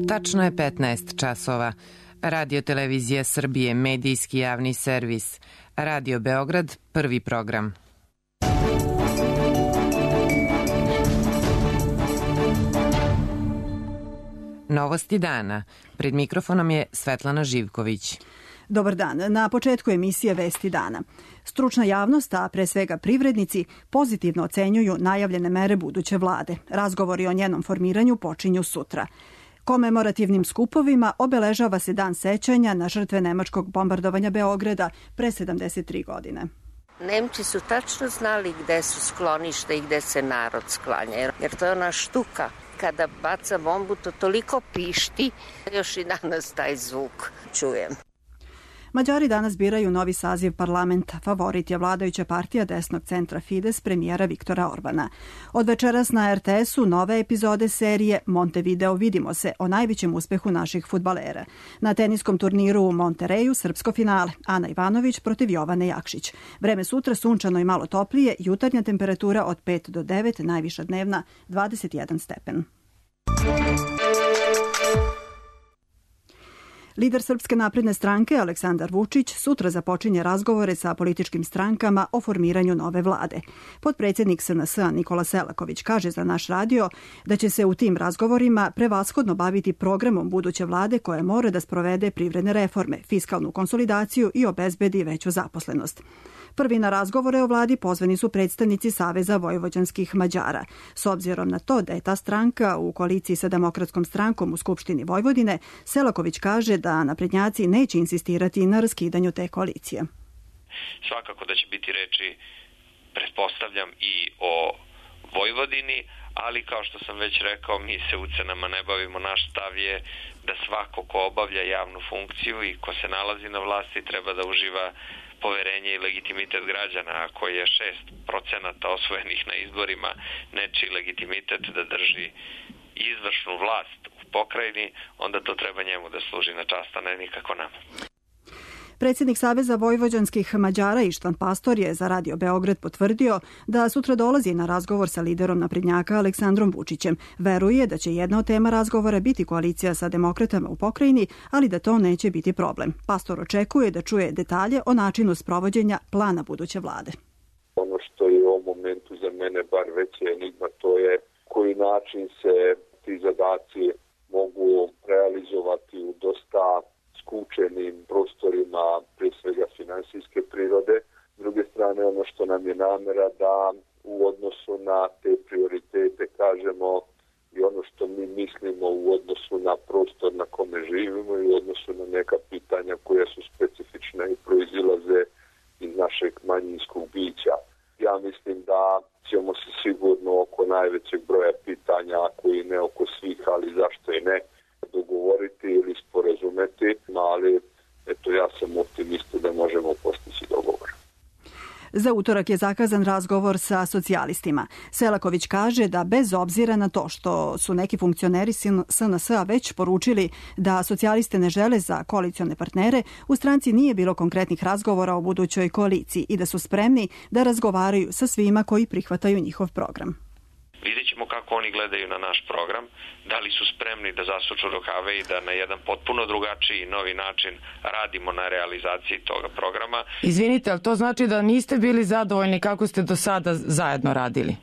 Tačno je 15 časova. Radio Televizija Srbije, medijski javni servis. Radio Beograd, prvi program. Novosti dana. Pred mikrofonom je Svetlana Živković. Dobar dan. Na početku emisije Vesti dana. Stručna javnost, a pre svega privrednici, pozitivno ocenjuju najavljene mere buduće vlade. Razgovori o njenom formiranju počinju sutra. Komemorativnim skupovima obeležava se dan sećanja na žrtve nemačkog bombardovanja Beograda pre 73 godine. Nemci su tačno znali gde su skloništa i gde se narod sklanja, jer to je ona štuka. Kada baca bombu, to toliko pišti, još i danas taj zvuk čujem. Mađari danas biraju novi saziv parlamenta. Favorit je vladajuća partija desnog centra Fides premijera Viktora Orbana. Od večeras na RTS-u nove epizode serije Montevideo vidimo se o najvećem uspehu naših fudbalera. Na teniskom turniru u Montereju srpsko finale. Ana Ivanović protiv Jovane Jakšić. Vreme sutra sunčano i malo toplije, jutarnja temperatura od 5 do 9, najviša dnevna 21 stepen. Lider Srpske napredne stranke Aleksandar Vučić sutra započinje razgovore sa političkim strankama o formiranju nove vlade. Potpredsjednik SNS-a Nikola Selaković kaže za naš radio da će se u tim razgovorima prevashodno baviti programom buduće vlade koja mora da sprovede privredne reforme, fiskalnu konsolidaciju i obezbedi veću zaposlenost. Prvi na razgovore o vladi pozvani su predstavnici Saveza vojvođanskih Mađara. S obzirom na to da je ta stranka u koaliciji sa Demokratskom strankom u Skupštini Vojvodine, Selaković kaže da naprednjaci neće insistirati na raskidanju te koalicije. Svakako da će biti reči, pretpostavljam, i o Vojvodini, ali kao što sam već rekao, mi se ucenama ne bavimo. Naš stav je da svako ko obavlja javnu funkciju i ko se nalazi na vlasti treba da uživa poverenje i legitimitet građana. Ako je 6% osvojenih na izborima nečiji legitimitet da drži izvršnu vlast u pokrajini, onda to treba njemu da služi na čast, a ne nikako nama. Predsjednik Saveza vojvođanskih Mađara Ištvan Pastor je za Radio Beograd potvrdio da sutra dolazi na razgovor sa liderom naprednjaka Aleksandrom Vučićem. Veruje da će jedna od tema razgovora biti koalicija sa demokratama u pokrajini, ali da to neće biti problem. Pastor očekuje da čuje detalje o načinu sprovođenja plana buduće vlade. Ono što je u ovom momentu za mene bar veća enigma, to je koji način se ti zadaci mogu realizovati u dosta skučenim prostorima, pre svega finansijske prirode. S druge strane, ono što nam je namera da u odnosu na te prioritete kažemo i ono što mi mislimo u odnosu na prostor na kome živimo i u odnosu na neka pitanja koja su specifična i proizilaze iz našeg manjinskog bića. Ja mislim da ćemo se sigurno oko najvećeg broja pitanja, ako i ne oko svih, ali zašto i ne, dogovoriti ili sporazumeti, ali eto, ja sam optimista da možemo postići dogovor. Za utorak je zakazan razgovor sa socijalistima. Selaković kaže da bez obzira na to što su neki funkcioneri SNS-a već poručili da socijaliste ne žele za koalicione partnere, u stranci nije bilo konkretnih razgovora o budućoj koaliciji i da su spremni da razgovaraju sa svima koji prihvataju njihov program. Vidjet ćemo kako oni gledaju na naš program, da li su spremni da zasuču rukave i da na jedan potpuno drugačiji i novi način radimo na realizaciji toga programa. Izvinite, ali to znači da niste bili zadovoljni kako ste do sada zajedno radili?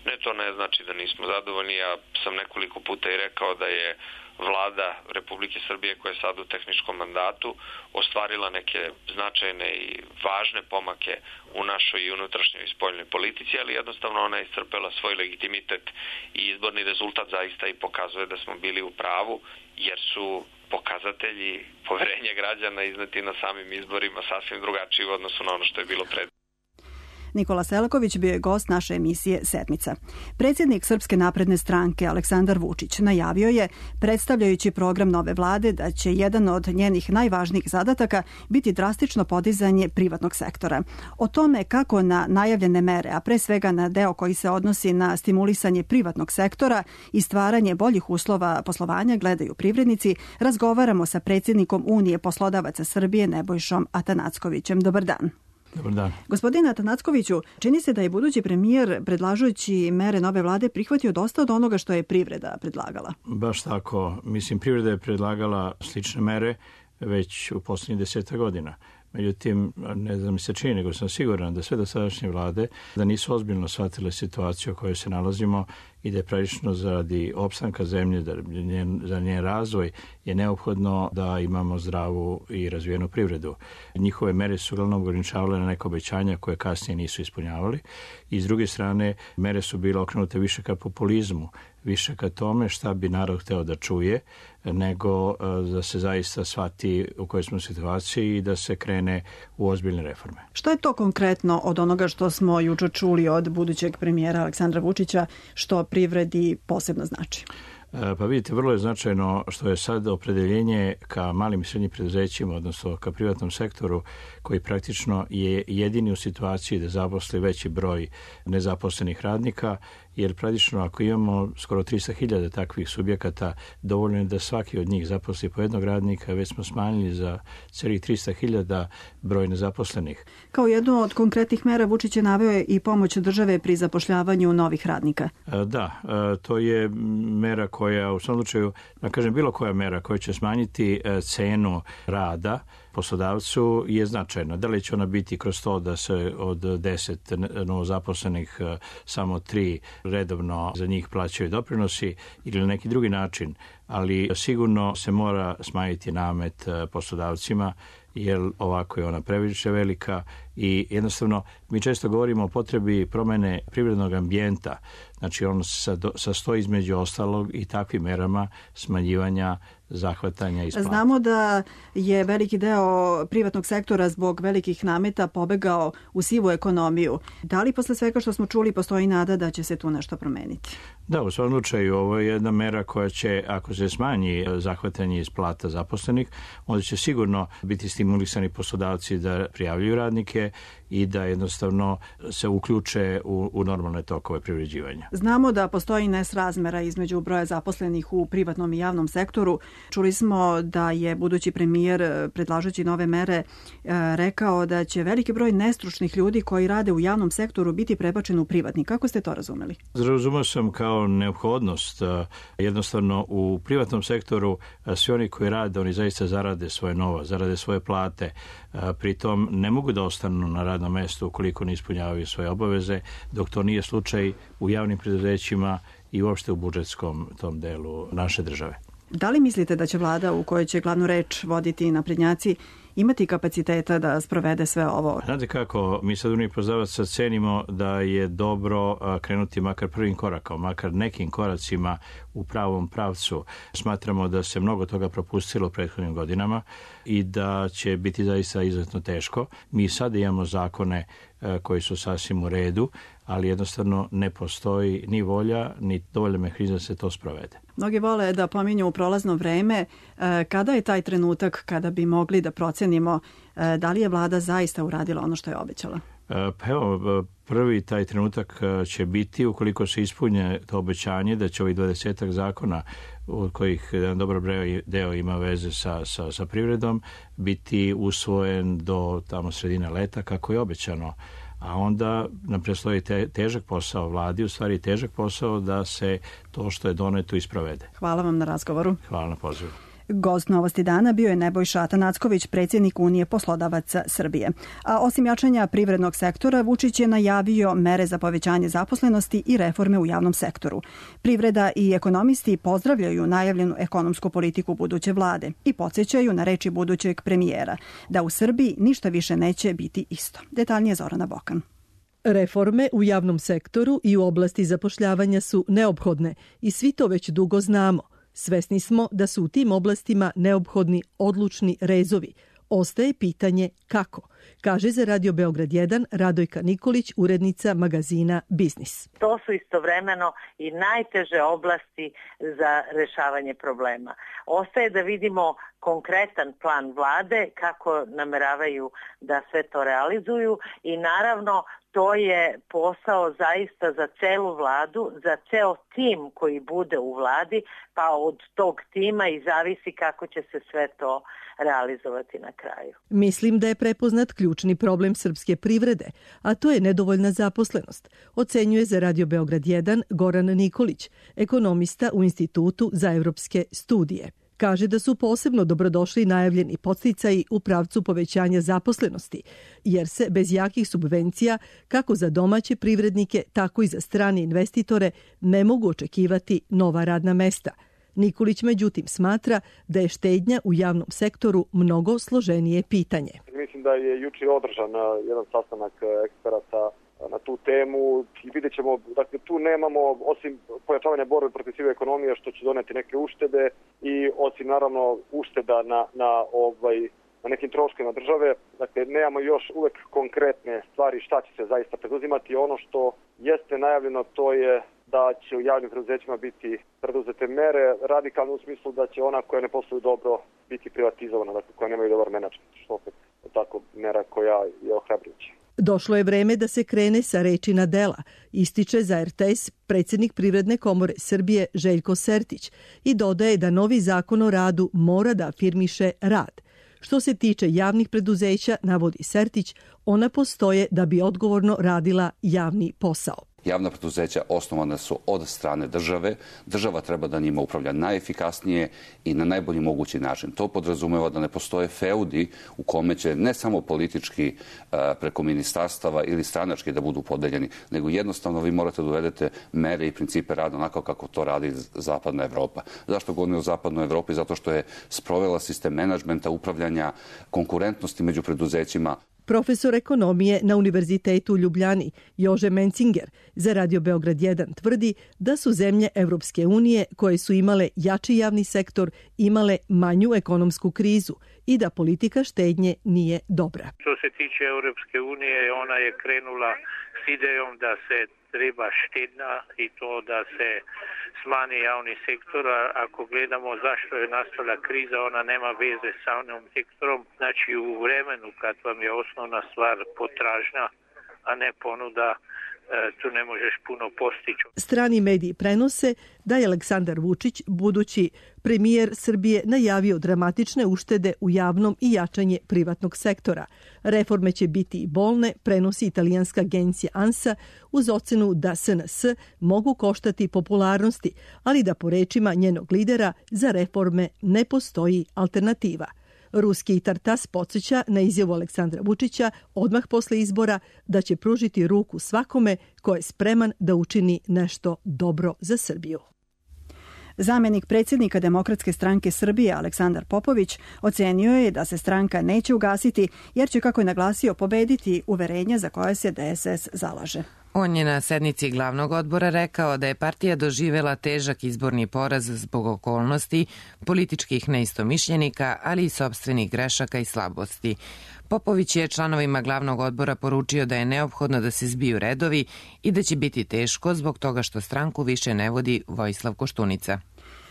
Ne, to ne znači da nismo zadovoljni. Ja sam nekoliko puta i rekao da je Vlada Republike Srbije koja je sad u tehničkom mandatu ostvarila neke značajne i važne pomake u našoj i unutrašnjoj i spoljnoj politici, ali jednostavno ona je iscrpela svoj legitimitet i izborni rezultat zaista i pokazuje da smo bili u pravu, jer su pokazatelji poverenja građana izneti na samim izborima sasvim drugačiji u odnosu na ono što je bilo pred. Nikola Selaković bio je gost naše emisije Sedmica. Predsjednik Srpske napredne stranke Aleksandar Vučić najavio je, predstavljajući program nove vlade, da će jedan od njenih najvažnijih zadataka biti drastično podizanje privatnog sektora. O tome kako na najavljene mere, a pre svega na deo koji se odnosi na stimulisanje privatnog sektora i stvaranje boljih uslova poslovanja gledaju privrednici, razgovaramo sa predsjednikom Unije poslodavaca Srbije Nebojšom Atanackovićem. Dobar dan. Dobar dan. Gospodine Atanackoviću, čini se da je budući premijer predlažući mere nove vlade prihvatio dosta od onoga što je privreda predlagala. Baš tako. Mislim, privreda je predlagala slične mere već u poslednjih 10 godina. Međutim, ne znam mi se čini, nego sam siguran da sve dosadašnje vlade da nisu ozbiljno shvatile situaciju u kojoj se nalazimo i da je prilično zaradi opstanka zemlje, za njen razvoj je neophodno da imamo zdravu i razvijenu privredu. Njihove mere su uglavnom ograničavale na neka obećanja koje kasnije nisu ispunjavali i s druge strane mere su bile okrenute više ka populizmu, više ka tome šta bi narod hteo da čuje, nego da se zaista shvati u kojoj smo situaciji i da se krene u ozbiljne reforme. Što je to konkretno od onoga što smo juče čuli od budućeg premijera Aleksandra Vučića, što privredi posebno znači? Pa vidite, vrlo je značajno što je sad opredeljenje ka malim i srednjim preduzećima, odnosno ka privatnom sektoru, koji praktično je jedini u situaciji da zaposli veći broj nezaposlenih radnika, jer praktično ako imamo skoro 300.000 takvih subjekata, dovoljno je da svaki od njih zaposli po jednog radnika, već smo smanjili za celih 300.000 broj nezaposlenih. Kao jednu od konkretnih mera Vučić je naveo i pomoć države pri zapošljavanju novih radnika. Da, to je mera koja u svom slučaju, da kažem, bilo koja mera koja će smanjiti cenu rada poslodavcu je značajna. Da li će ona biti kroz to da se od 10 novozaposlenih samo 3 redovno za njih plaćaju doprinosi ili na neki drugi način, ali sigurno se mora smanjiti namet poslodavcima, jer ovako je ona previše velika i jednostavno mi često govorimo o potrebi promene privrednog ambijenta. Znači on se sastoji između ostalog i takvim merama smanjivanja zahvatanja i isplata. Znamo da je veliki deo privatnog sektora zbog velikih nameta pobegao u sivu ekonomiju. Da li posle svega što smo čuli postoji nada da će se tu nešto promeniti? Da, u svom slučaju ovo je jedna mera koja će, ako se smanji zahvatanje isplata zaposlenih, onda će sigurno biti stimulisani poslodavci da prijavljuju radnike i da jednostavno se uključe u normalne tokove privređivanja. Znamo da postoji nesrazmera između broja zaposlenih u privatnom i javnom sektoru. Čuli smo da je budući premijer predlažući nove mere rekao da će veliki broj nestručnih ljudi koji rade u javnom sektoru biti prebačen u privatni. Kako ste to razumeli? Razumeo sam kao neophodnost. Jednostavno u privatnom sektoru svi oni koji rade, oni zaista zarade svoje novo, zarade svoje plate. Pritom ne mogu da ostanu na radnom mestu ukoliko ne ispunjavaju svoje obaveze, dok to nije slučaj u javnim preduzećima i uopšte u budžetskom tom delu naše države. Da li mislite da će vlada u kojoj će glavnu reč voditi naprednjaci imati kapaciteta da sprovede sve ovo? Znate kako, mi sad Uniji poslodavaca cenimo da je dobro krenuti makar prvim korakom, makar nekim koracima u pravom pravcu. Smatramo da se mnogo toga propustilo u prethodnim godinama i da će biti zaista izuzetno teško. Mi sad imamo zakone koji su sasvim u redu, ali jednostavno ne postoji ni volja, ni dovoljno mehanizam da se to sprovede. Mnogi vole da pominju prolazno vreme. Kada je taj trenutak kada bi mogli da procenimo da li je vlada zaista uradila ono što je obećala? Pa evo, prvi taj trenutak će biti ukoliko se ispunje to obećanje da će ovih 20 zakona od kojih jedan dobar deo ima veze sa privredom biti usvojen do tamo sredine leta kako je obećano. A onda nam predstoji težak posao vladi, u stvari težak posao da se to što je doneto isprovede. Hvala vam na razgovoru. Hvala na pozivu. Gost Novosti dana bio je Nebojša Atanacković, predsjednik Unije poslodavaca Srbije. A osim jačanja privrednog sektora, Vučić je najavio mere za povećanje zaposlenosti i reforme u javnom sektoru. Privreda i ekonomisti pozdravljaju najavljenu ekonomsku politiku buduće vlade i podsjećaju na reči budućeg premijera da u Srbiji ništa više neće biti isto. Detaljnije Zorana Bokan. Reforme u javnom sektoru i u oblasti zapošljavanja su neophodne i svi to već dugo znamo. Svesni smo da su u tim oblastima neophodni odlučni rezovi. Ostaje pitanje kako, kaže za Radio Beograd 1 Radojka Nikolić, urednica magazina Biznis. To su istovremeno i najteže oblasti za rešavanje problema. Ostaje da vidimo konkretan plan vlade, kako nameravaju da sve to realizuju i naravno to je posao zaista za celu vladu, za ceo tim koji bude u vladi, pa od tog tima i zavisi kako će se sve to realizovati na kraju. Mislim da je prepoznat ključni problem srpske privrede, a to je nedovoljna zaposlenost, ocenjuje za Radio Beograd 1 Goran Nikolić, ekonomista u Institutu za evropske studije. Kaže da su posebno dobrodošli najavljeni podsticaji u pravcu povećanja zaposlenosti, jer se bez jakih subvencija, kako za domaće privrednike, tako i za strane investitore, ne mogu očekivati nova radna mesta. Nikolić međutim smatra da je štednja u javnom sektoru mnogo složenije pitanje. Mislim da je juče održan jedan sastanak eksperata na tu temu i vidjet ćemo, dakle tu nemamo osim pojačavanja borbe protiv sive ekonomije što će doneti neke uštede i osim naravno ušteda na nekim troškovima države, dakle nemamo još uvek konkretne stvari šta će se zaista preduzimati. Ono što jeste najavljeno to je da će u javnim preduzećima biti preduzete mere radikalno u smislu da će ona koja ne posluju dobro biti privatizovana, dakle koja nemaju dobar menadžment, što opet je tako mera koja je ohrabrujuća. Došlo je vreme da se krene sa reči na dela, ističe za RTS predsjednik Privredne komore Srbije Željko Sertić i dodaje da novi zakon o radu mora da afirmiše rad. Što se tiče javnih preduzeća, navodi Sertić, ona postoje da bi odgovorno radila javni posao. Javna preduzeća osnovana su od strane države. Država treba da njima upravlja najefikasnije i na najbolji mogući način. To podrazumeva da ne postoje feudi u kome će ne samo politički preko ministarstava ili stranački da budu podeljeni, nego jednostavno vi morate da uvedete mere i principe rada onako kako to radi zapadna Evropa. Zašto govorim o zapadnoj Evropi? Zato što je sprovela sistem menadžmenta, upravljanja, konkurentnosti među preduzećima. Profesor ekonomije na Univerzitetu u Ljubljani, Jože Mencinger, za Radio Beograd 1 tvrdi da su zemlje Evropske unije koje su imale jači javni sektor imale manju ekonomsku krizu i da politika štednje nije dobra. Što se tiče Evropske unije, ona je krenula s idejom da se treba štednja i to da se smani javni sektor. Ako gledamo zašto je nastala kriza, ona nema veze sa javnim sektorom. Znači u vremenu kad vam je osnovna stvar potražnja, a ne ponuda, tu ne možeš puno postići. Strani mediji prenose da je Aleksandar Vučić, budući premijer Srbije, najavio dramatične uštede u javnom i jačanje privatnog sektora. Reforme će biti i bolne, prenosi italijanska agencija ANSA, uz ocenu da SNS mogu koštati popularnosti, ali da po rečima njenog lidera za reforme ne postoji alternativa. Ruski Tartas podsjeća na izjavu Aleksandra Vučića odmah posle izbora da će pružiti ruku svakome ko je spreman da učini nešto dobro za Srbiju. Zamenik predsjednika Demokratske stranke Srbije Aleksandar Popović ocenio je da se stranka neće ugasiti jer će, kako je naglasio, pobediti uverenja za koje se DSS zalaže. On je na sednici glavnog odbora rekao da je partija doživela težak izborni poraz zbog okolnosti, političkih neistomišljenika, ali i sopstvenih grešaka i slabosti. Popović je članovima glavnog odbora poručio da je neophodno da se zbiju redovi i da će biti teško zbog toga što stranku više ne vodi Vojislav Koštunica.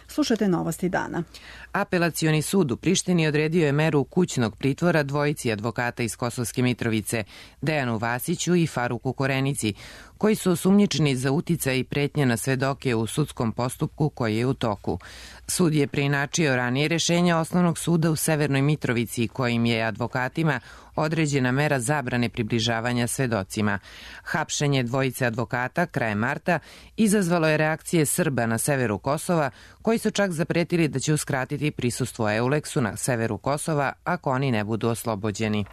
Slušate novosti dana. Apelacioni sud u Prištini odredio je meru kućnog pritvora dvojici advokata iz Kosovske Mitrovice, Dejanu Vasiću i Faruku Korenici, koji su osumnjičeni za uticaj i pretnje na svedoke u sudskom postupku koji je u toku. Sud je preinačio ranije rešenja Osnovnog suda u Severnoj Mitrovici, kojim je advokatima određena mera zabrane približavanja svedocima. Hapšenje dvojice advokata krajem marta izazvalo je reakcije Srba na severu Kosova, koji su čak zapretili da će uskratiti prisustvo Euleksu na severu Kosova ako oni ne budu oslobođeni.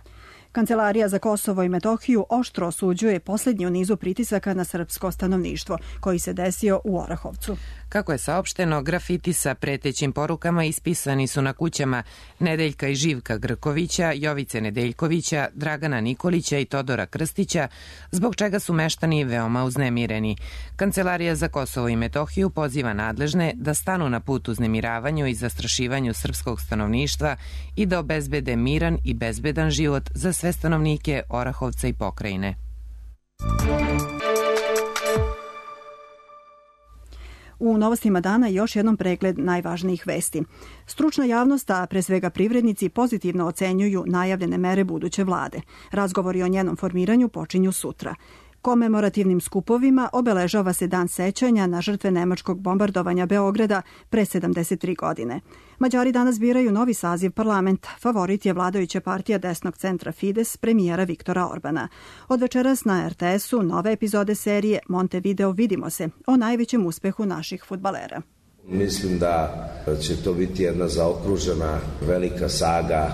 Kancelarija za Kosovo i Metohiju oštro osuđuje posljednji u nizu pritisaka na srpsko stanovništvo, koji se desio u Orahovcu. Kako je saopšteno, grafiti sa pretećim porukama ispisani su na kućama Nedeljka i Živka Grkovića, Jovice Nedeljkovića, Dragana Nikolića i Todora Krstića, zbog čega su meštani veoma uznemireni. Kancelarija za Kosovo i Metohiju poziva nadležne da stanu na put uznemiravanju i zastrašivanju srpskog stanovništva i da obezbede miran i bezbedan život za sve stanovnike Orahovca i pokrajine. U novostima dana još jednom pregled najvažnijih vesti. Stručna javnost, a pre svega privrednici, pozitivno ocenjuju najavljene mere buduće vlade. Razgovori o njenom formiranju počinju sutra. Komemorativnim skupovima obeležava se dan sećanja na žrtve nemačkog bombardovanja Beograda pre 73 godine. Mađari danas biraju novi saziv parlamenta. Favorit je vladajuća partija desnog centra Fides premijera Viktora Orbana. Od večeras na RTS-u nove epizode serije Montevideo vidimo se o najvećem uspehu naših fudbalera. Mislim da će to biti jedna zaokružena velika saga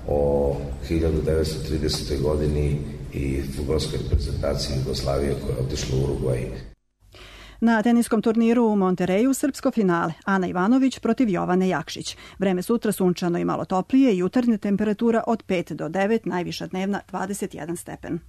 o 1930. godini i fudbalskoj reprezentaciji Jugoslavije koja je otišla u Urugvaj. Na teniskom turniru u Montereju srpsko finale Ana Ivanović protiv Jovane Jakšić. Vreme sutra sunčano i malo toplije, jutarnja temperatura od 5 do 9, najviša dnevna 21 stepen.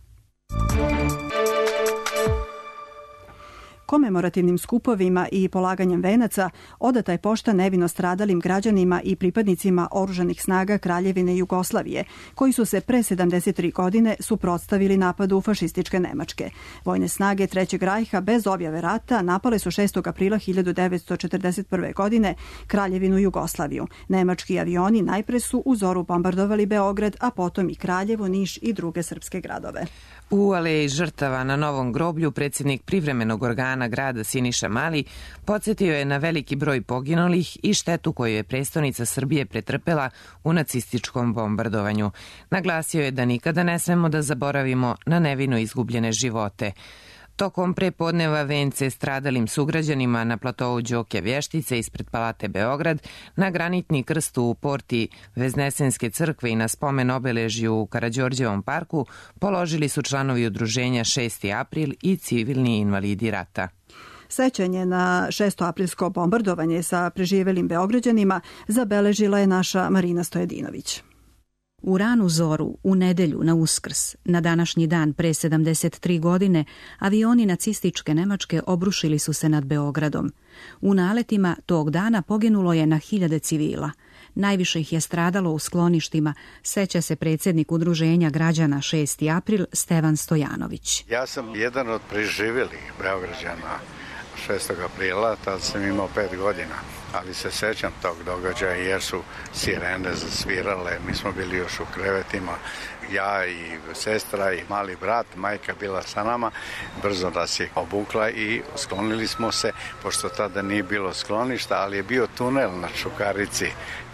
Komemorativnim skupovima i polaganjem venaca odata je pošta nevino stradalim građanima i pripadnicima oružanih snaga Kraljevine Jugoslavije, koji su se pre 73 godine suprotstavili napadu fašističke Nemačke. Vojne snage Trećeg rajha bez objave rata napale su 6. aprila 1941. godine Kraljevinu Jugoslaviju. Nemački avioni najpre su u zoru bombardovali Beograd, a potom i Kraljevo, Niš i druge srpske gradove. U aleji žrtava na Novom groblju predsjednik privremenog organa grada Siniša Mali podsjetio je na veliki broj poginulih i štetu koju je prestonica Srbije pretrpela u nacističkom bombardovanju. Naglasio je da nikada ne smemo da zaboravimo na nevino izgubljene živote. Tokom prepodneva vence stradalim sugrađanima na platovu Đoke Vještice ispred Palate Beograd, na granitni krst u porti Veznesenske crkve i na spomen obeležju u Karađorđevom parku položili su članovi udruženja 6. april i civilni invalidi rata. Sećanje na 6. aprilsko bombardovanje sa preživelim Beograđanima zabeležila je naša Marina Stojedinović. U ranu zoru, u nedelju na Uskrs, na današnji dan pre 73 godine, avioni nacističke Nemačke obrušili su se nad Beogradom. U naletima tog dana poginulo je na hiljade civila. Najviše ih je stradalo u skloništima, seća se predsjednik udruženja građana 6. april Stevan Stojanović. Ja sam jedan od preživelih Beograđana 6. aprila, tad sam imao 5 godina. Ali se sećam tog događaja jer su sirene zasvirale, mi smo bili još u krevetima, ja i sestra i mali brat, majka bila sa nama, brzo nas je obukla i sklonili smo se, pošto tada nije bilo skloništa, ali je bio tunel na Čukarici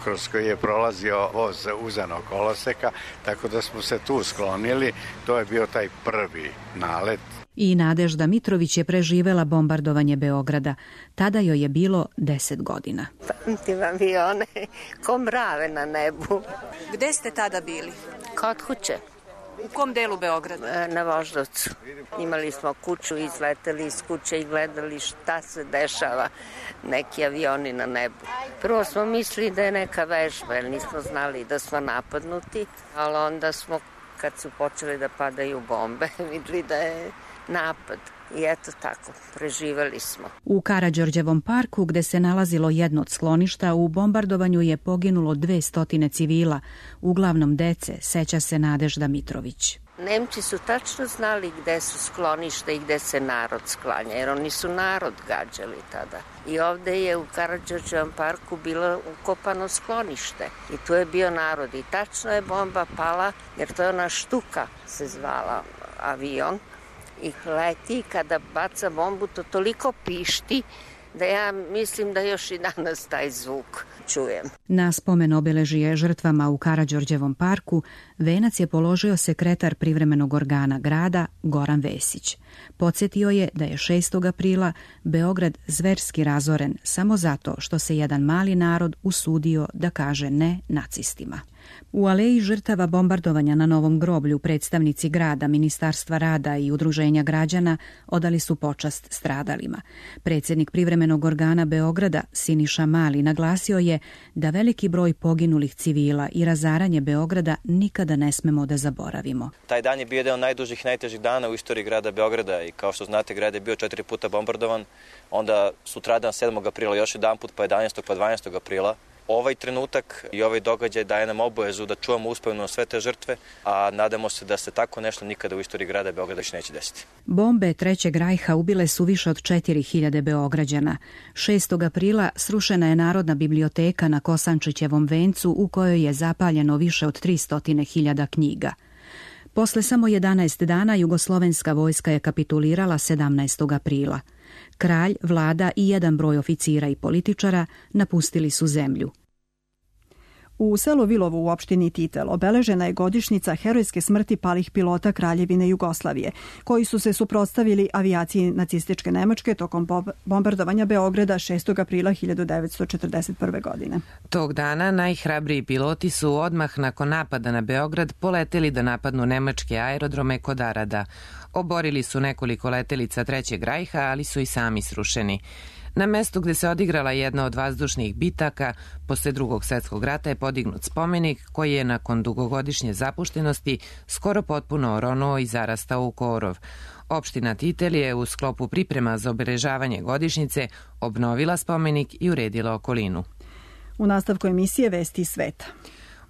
kroz koji je prolazio voz uzanog koloseka, tako da smo se tu sklonili, to je bio taj prvi nalet. I Nadežda Mitrović je preživela bombardovanje Beograda. Tada joj je bilo 10 godina. Pamtim avione ko mrave na nebu. Gde ste tada bili? Kod kuće. U kom delu Beograda? Na Voždovcu. Imali smo kuću, izleteli iz kuće i gledali šta se dešava, neki avioni na nebu. Prvo smo mislili da je neka vežba, jer nismo znali da smo napadnuti, ali onda smo, kad su počeli da padaju bombe, videli da je napad. I eto tako, preživeli smo. U Karađorđevom parku, gde se nalazilo jedno od skloništa, u bombardovanju je poginulo 200 civila, uglavnom dece, seća se Nadežda Mitrović. Nemci su tačno znali gde su skloništa i gde se narod sklanja, jer oni su narod gađali tada. I ovde je u Karađorđevom parku bilo ukopano sklonište i tu je bio narod. I tačno je bomba pala, jer to je ona Štuka se zvala avion. I leti, kada baca bombu, to toliko pišti da ja mislim da još i danas taj zvuk čujem. Na spomen obeležije žrtvama u Karađorđevom parku venac je položio sekretar privremenog organa grada Goran Vesić. Podsjetio je da je 6. aprila Beograd zverski razoren samo zato što se jedan mali narod usudio da kaže ne nacistima. U aleji žrtava bombardovanja na Novom groblju predstavnici grada, Ministarstva rada i udruženja građana odali su počast stradalima. Predsjednik privremenog organa Beograda, Siniša Mali, naglasio je da veliki broj poginulih civila i razaranje Beograda nikada ne smemo da zaboravimo. Taj dan je bio jedan od najdužih i najtežih dana u istoriji grada Beograda i kao što znate, grad je bio 4 puta bombardovan, onda sutradan 7. aprila još jedan put, pa 11. pa 12. aprila. Ovaj trenutak i ovaj događaj daje nam obavezu da čuvamo uspomenu sve te žrtve, a nadamo se da se tako nešto nikada u istoriji grada Beograda više neće desiti. Bombe Trećeg rajha ubile su više od 4000 Beograđana. 6. aprila srušena je Narodna biblioteka na Kosančićevom vencu u kojoj je zapaljeno više od 300.000 knjiga. Posle samo 11 dana jugoslovenska vojska je kapitulirala 17. aprila. Kralj, vlada i jedan broj oficira i političara napustili su zemlju. U selu Vilovu u opštini Titel obeležena je godišnjica herojske smrti palih pilota Kraljevine Jugoslavije, koji su se suprotstavili avijaciji nacističke Nemačke tokom bombardovanja Beograda 6. aprila 1941. godine. Tog dana najhrabriji piloti su odmah nakon napada na Beograd poleteli da napadnu nemačke aerodrome kod Arada. Oborili su nekoliko letelica Trećeg rajha, ali su i sami srušeni. Na mestu gde se odigrala jedna od vazdušnih bitaka posle Drugog svjetskog rata je podignut spomenik koji je nakon dugogodišnje zapuštenosti skoro potpuno oronuo i zarastao u korov. Opština Titel je u sklopu priprema za obeležavanje godišnjice obnovila spomenik i uredila okolinu. U nastavku emisije Vesti iz sveta.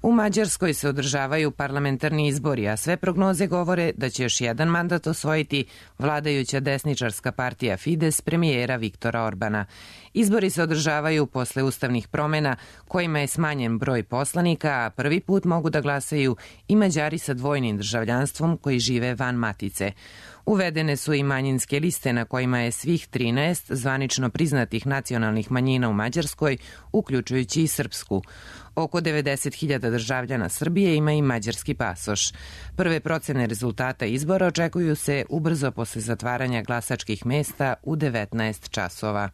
U Mađarskoj se održavaju parlamentarni izbori, a sve prognoze govore da će još jedan mandat osvojiti vladajuća desničarska partija Fides premijera Viktora Orbana. Izbori se održavaju posle ustavnih promena kojima je smanjen broj poslanika, a prvi put mogu da glasaju i Mađari sa dvojnim državljanstvom koji žive van matice. Uvedene su i manjinske liste na kojima je svih 13 zvanično priznatih nacionalnih manjina u Mađarskoj, uključujući i srpsku. Oko 90.000 državljana Srbije ima i mađarski pasoš. Prve procene rezultata izbora očekuju se ubrzo posle zatvaranja glasačkih mesta u 19 časova.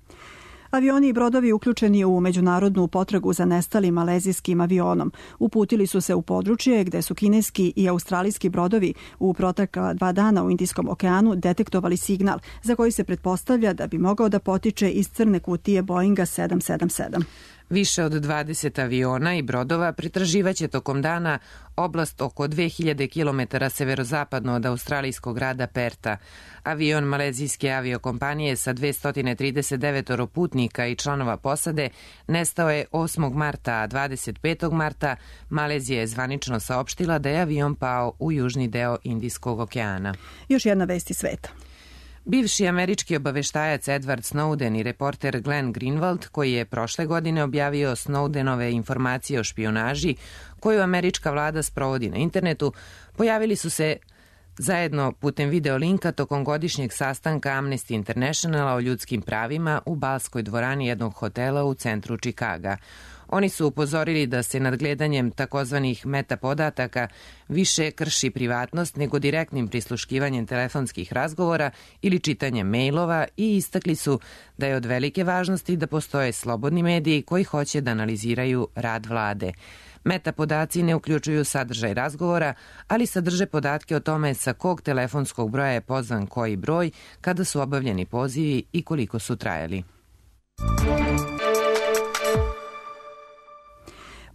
Avioni i brodovi uključeni u međunarodnu potragu za nestalim malezijskim avionom uputili su se u područje gde su kineski i australijski brodovi u protekla 2 dana u Indijskom okeanu detektovali signal za koji se pretpostavlja da bi mogao da potiče iz crne kutije Boeinga 777. Više od 20 aviona i brodova pretraživaće tokom dana oblast oko 2000 km severozapadno od australijskog grada Perta. Avion malezijske aviokompanije sa 239 putnika i članova posade nestao je 8. marta, a 25. marta Malezija je zvanično saopštila da je avion pao u južni deo Indijskog okeana. Još jedna vest iz sveta. Bivši američki obaveštajac Edward Snowden i reporter Glenn Greenwald, koji je prošle godine objavio Snowdenove informacije o špijunaži koju američka vlada sprovodi na internetu, pojavili su se zajedno putem video linka tokom godišnjeg sastanka Amnesty Internationala o ljudskim pravima u balskoj dvorani jednog hotela u centru Čikaga. Oni su upozorili da se nadgledanjem takozvanih meta podataka više krši privatnost nego direktnim prisluškivanjem telefonskih razgovora ili čitanjem mailova i istakli su da je od velike važnosti da postoje slobodni mediji koji hoće da analiziraju rad vlade. Meta podaci ne uključuju sadržaj razgovora, ali sadrže podatke o tome sa kog telefonskog broja je pozvan koji broj, kada su obavljeni pozivi i koliko su trajali.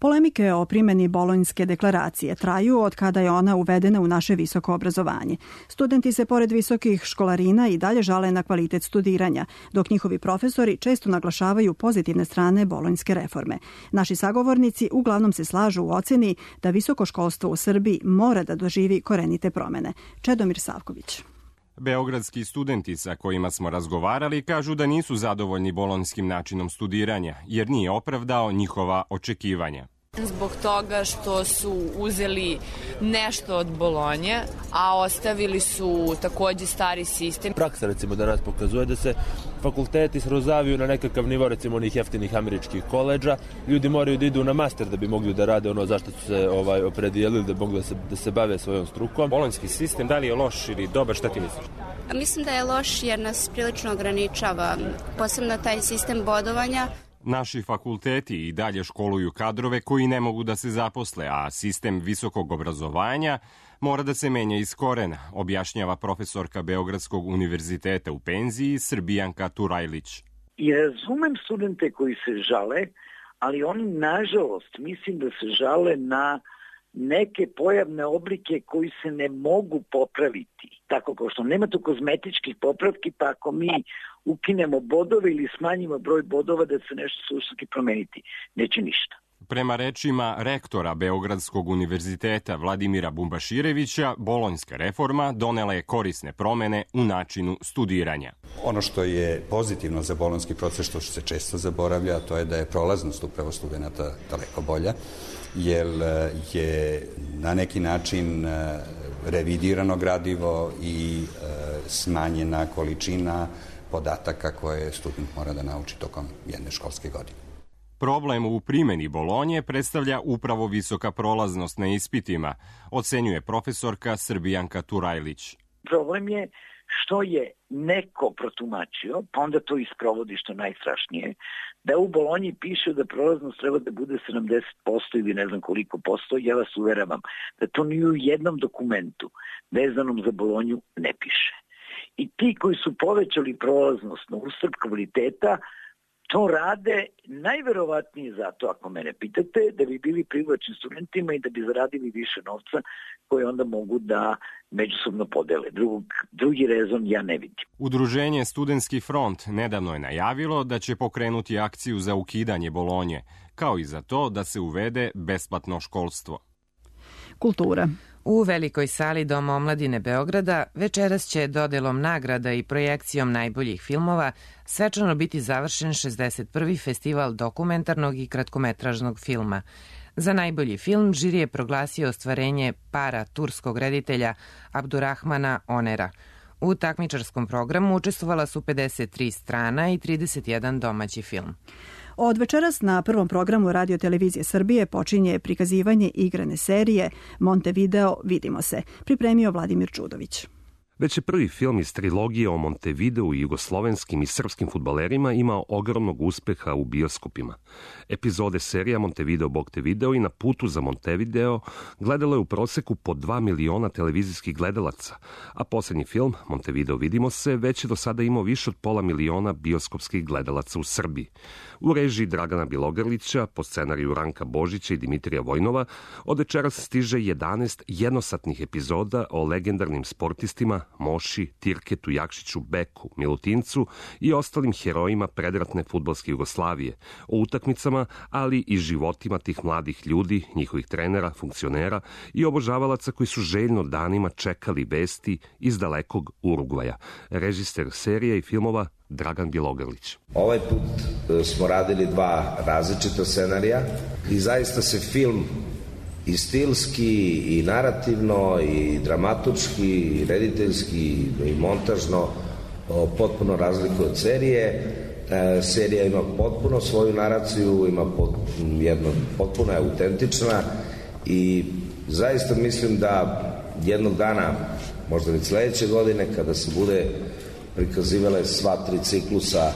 Polemike o primjeni Bolonjske deklaracije traju od kada je ona uvedena u naše visoko obrazovanje. Studenti se pored visokih školarina i dalje žale na kvalitet studiranja, dok njihovi profesori često naglašavaju pozitivne strane Bolonjske reforme. Naši sagovornici uglavnom se slažu u oceni da visoko školstvo u Srbiji mora da doživi korenite promene. Čedomir Savković. Beogradski studenti sa kojima smo razgovarali kažu da nisu zadovoljni bolonjskim načinom studiranja, jer nije opravdao njihova očekivanja. Zbog toga što su uzeli nešto od Bolonje, a ostavili su takođe stari sistem. Praksa recimo danas pokazuje da se fakulteti srozaviju na nekakav nivo recimo onih jeftinih američkih koleđa. Ljudi moraju da idu na master da bi mogli da rade ono zašto su se opredijelili da mogu da se bave svojom strukom. Bolonjski sistem, da li je loš ili dobar, šta ti misliš? Mislim da je loš jer nas prilično ograničava, posebno taj sistem bodovanja. Naši fakulteti i dalje školuju kadrove koji ne mogu da se zaposle, a sistem visokog obrazovanja mora da se menja iz korena, objašnjava profesorka Beogradskog univerziteta u penziji Srbijanka Turajlić. I razumem studente koji se žale, ali oni nažalost mislim da se žale na neke pojavne oblike koji se ne mogu popraviti. Tako kao što nema tu kozmetičkih popravki, pa ako mi ukinemo bodove ili smanjimo broj bodova da se nešto suštinski promeniti, neće ništa. Prema rečima rektora Beogradskog univerziteta Vladimira Bumbaširevića, bolonjska reforma donela je korisne promene u načinu studiranja. Ono što je pozitivno za bolonjski proces, što se često zaboravlja, to je da je prolaznost upravo studenta daleko bolja, jer je na neki način revidirano gradivo i smanjena količina podataka koje student mora da nauči tokom jedne školske godine. Problem u primjeni Bolonje predstavlja upravo visoka prolaznost na ispitima, ocenjuje profesorka Srbijanka Turajlić. Problem je što je neko protumačio, pa onda to isprovodi što najstrašnije, da u Bolonji piše da prolaznost treba da bude 70% ili ne znam koliko posto. Ja vas uveravam da to ni u jednom dokumentu vezanom za Bolonju ne piše. I ti koji su povećali prolaznost na uštrb kvaliteta, to rade najverovatnije zato, ako mene pitate, da bi bili privlačni studentima i da bi zaradili više novca koje onda mogu da međusobno podele. Drugi rezon ja ne vidim. Udruženje Studentski front nedavno je najavilo da će pokrenuti akciju za ukidanje Bolonje, kao i za to da se uvede besplatno školstvo. Kultura. U velikoj sali Doma omladine Beograda večeras će dodelom nagrada i projekcijom najboljih filmova svečano biti završen 61. festival dokumentarnog i kratkometražnog filma. Za najbolji film žiri je proglasio ostvarenje para turskog reditelja Abdurrahmana Onera. U takmičarskom programu učestvovala su 53 strana i 31 domaći film. Od večeras na prvom programu Radio Televizije Srbije počinje prikazivanje igrane serije Montevideo Vidimo se, pripremio Vladimir Čudović. Već je prvi film iz trilogije o Montevideu i jugoslovenskim i srpskim fudbalerima imao ogromnog uspeha u bioskopima. Epizode serija Montevideo Bog te video i Na putu za Montevideo gledalo je u proseku po 2 miliona televizijskih gledalaca, a posljednji film, Montevideo Vidimo se, već je do sada imao više od 500 miliona bioskopskih gledalaca u Srbiji. U režiji Dragana Bilogrlića, po scenariju Ranka Božića i Dimitrija Vojnova, od večeras stiže 11 jednosatnih epizoda o legendarnim sportistima Moši, Tirketu, Jakšiću, Beku, Milutincu i ostalim herojima predratne fudbalske Jugoslavije, o utakmicama, ali i životima tih mladih ljudi, njihovih trenera, funkcionera i obožavalaca koji su željno danima čekali vesti iz dalekog Urugvaja. Režiser serije i filmova Dragan Bjelogrlić. Ovaj put smo radili 2 različita scenarija i zaista se film i stilski, i narativno, i dramaturški, i rediteljski, i montažno potpuno razlikuje od serije. Serija ima potpuno svoju naraciju, ima potpuno je autentična i zaista mislim da jednog dana, možda već sledeće godine, kada se bude prikazivale sva 3 ciklusa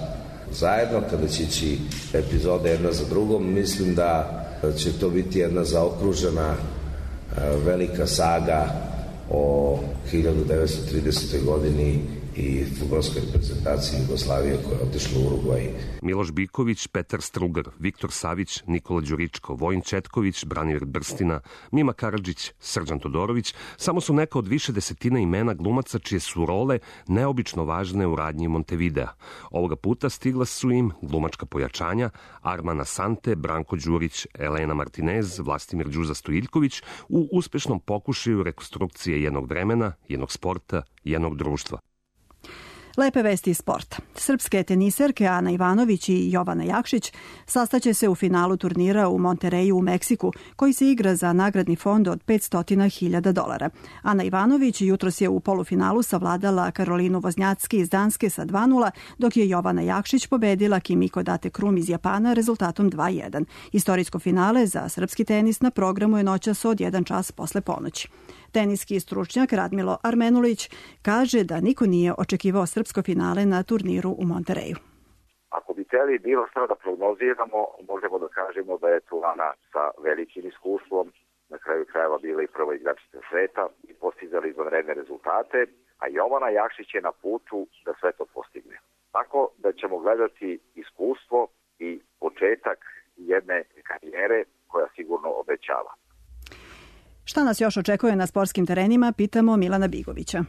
zajedno, kada će ići epizode jedna za drugom, mislim da će to biti jedna zaokružena velika saga o 1930. godini i fudbalskoj reprezentaciji Jugoslavije koja je otišla u Urugvaj. Miloš Biković, Petar Strugar, Viktor Savić, Nikola Đuričko, Vojin Četković, Branimir Brstina, Mima Karadžić, Srđan Todorović samo su neka od više desetina imena glumaca čije su role neobično važne u radnji Montevidea. Ovoga puta stigla su im glumačka pojačanja Arman Asante, Branko Đurić, Elena Martinez, Vlastimir Đuza Stojiljković u uspešnom pokušaju rekonstrukcije jednog vremena, jednog sporta, jednog društva. Lepe vesti iz sporta. Srpske teniserke Ana Ivanović i Jovana Jakšić sastaće se u finalu turnira u Montereju u Meksiku, koji se igra za nagradni fond od $500.000. Ana Ivanović jutros je u polufinalu savladala Karolinu Voznjacki iz Danske sa 2:0, dok je Jovana Jakšić pobedila Kimiko Date Krum iz Japana rezultatom 2:1. Istorijsko finale za srpski tenis na programu je noćas od 1 čas posle ponoći. Teniski stručnjak Radmilo Armenulić kaže da niko nije očekivao srpsko finale na turniru u Montereju. Ako bi hteli bilo što da prognoziramo, možemo da kažemo da je tu Ana sa velikim iskustvom, na kraju krajeva bila i prva igračica sveta i postizali izvanredne rezultate, a Jovana Jakšić je na putu da sve to postigne. Tako da ćemo gledati iskustvo i početak jedne karijere koja sigurno obećava. Šta nas još očekuje na sportskim terenima, pitamo Milana Bigovića.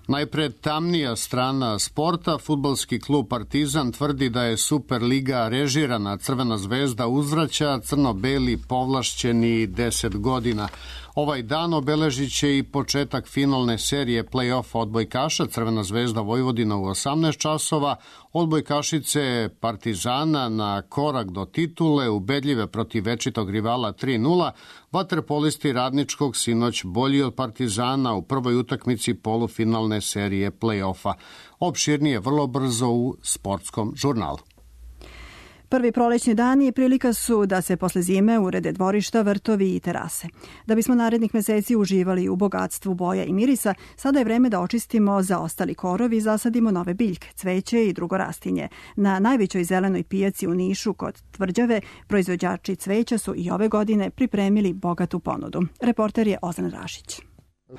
Najpre tamnija strana sporta. Fudbalski klub Partizan tvrdi da je Superliga režirana. Crvena zvezda uzvraća, crno-beli povlašćeni 10 godina. Ovaj dan obeležit će i početak finalne serije play-offa odbojkaša. Crvena zvezda Vojvodina u 18 časova, odbojkašice Partizana na korak do titule, ubedljive protiv večitog rivala 3-0. Vaterpolisti Radničkog sinoć bolji od Partizana u prvoj utakmici polufinalne serije play-offa. Opširnije vrlo brzo u sportskom žurnalu. Prvi prolećni dani prilika su da se posle zime urede dvorišta, vrtovi i terase. Da bismo narednih meseci uživali u bogatstvu boja i mirisa, sada je vreme da očistimo zaostali korov i zasadimo nove biljke, cveće i drugo rastinje. Na najvećoj zelenoj pijaci u Nišu kod Tvrđave proizvođači cveća su i ove godine pripremili bogatu ponudu. Reporter je Ozan Rašić.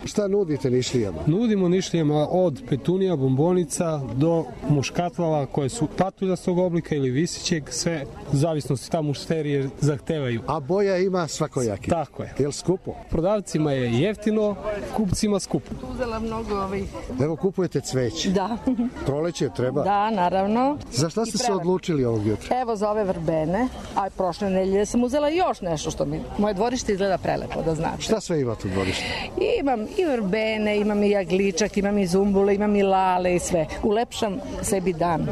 Šta nudite Nišlijama? Nudimo Nišlijama od petunija, bombonica do muškatlava koje su patuljastog oblika ili visićeg, sve u zavisnosti ta mušterije zahtevaju. A boja ima svakojaki? Tako je. Je li skupo? Prodavcima je jeftino, kupcima skupo. Uzela mnogo Evo kupujete cveće. Da. Proleće treba? Da, naravno. Za šta ste se odlučili ovog jutra? Evo za ove verbene, a prošle nedelje sam uzela još nešto što mi moje dvorište izgleda prelepo, da znate. Šta sve imate u dvorištu? Imam i verbene, imam i jagličak, imam i zumbule, imam i lale i sve. Ulepšam sebi dan.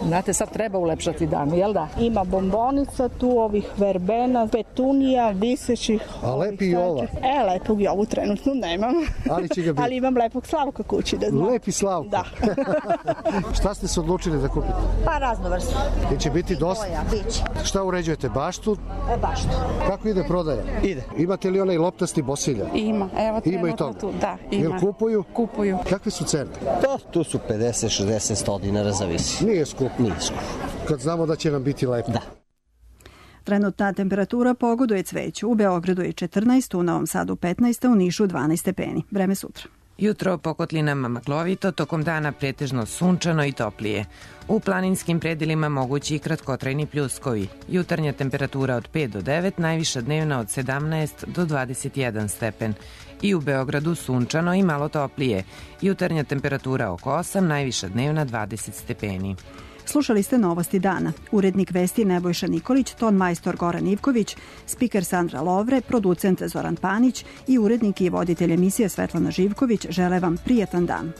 Znate, sad treba ulepšati dan, jel da? Ima bombonica tu, ovih verbena, petunija, visećih. A lepi i ova? Lepog i ovu trenutno nemam. Ali će ga biti? Ali imam lepog Slavka kući, da znam. Lepi Slavko? Da. Šta ste se odlučili da kupite? Pa razno vrstu. I će biti dosta? Biće. Šta uređujete, baštu? Baštu. Kako ide prodaja? Ide. Imate li onaj loptasti bosilja? Ima, evo trenutno tu, da. Jel kupuju? Kupuju. Kakve su cene? Tu su 50, 60, 100 dinara, zavisi. Nije skup. Nije skup. Kad znamo da će nam biti lepo. Da. Trenutna temperatura pogoduje cveću. U Beogradu je 14, u Novom Sadu 15, u Nišu 12 stepeni. Vreme sutra. Jutro po kotlinama maglovito, tokom dana pretežno sunčano i toplije. U planinskim predelima mogući i kratkotrajni pljuskovi. Jutarnja temperatura od 5 do 9, najviša dnevna od 17 do 21 stepen. I u Beogradu sunčano i malo toplije. Jutarnja temperatura oko 8, najviša dnevna 20 stepeni. Slušali ste Novosti dana. Urednik vesti Nebojša Nikolić, ton majstor Goran Ivković, spiker Sandra Lovre, producent Zoran Panić i urednik i voditelj emisije Svetlana Živković žele vam prijetan dan.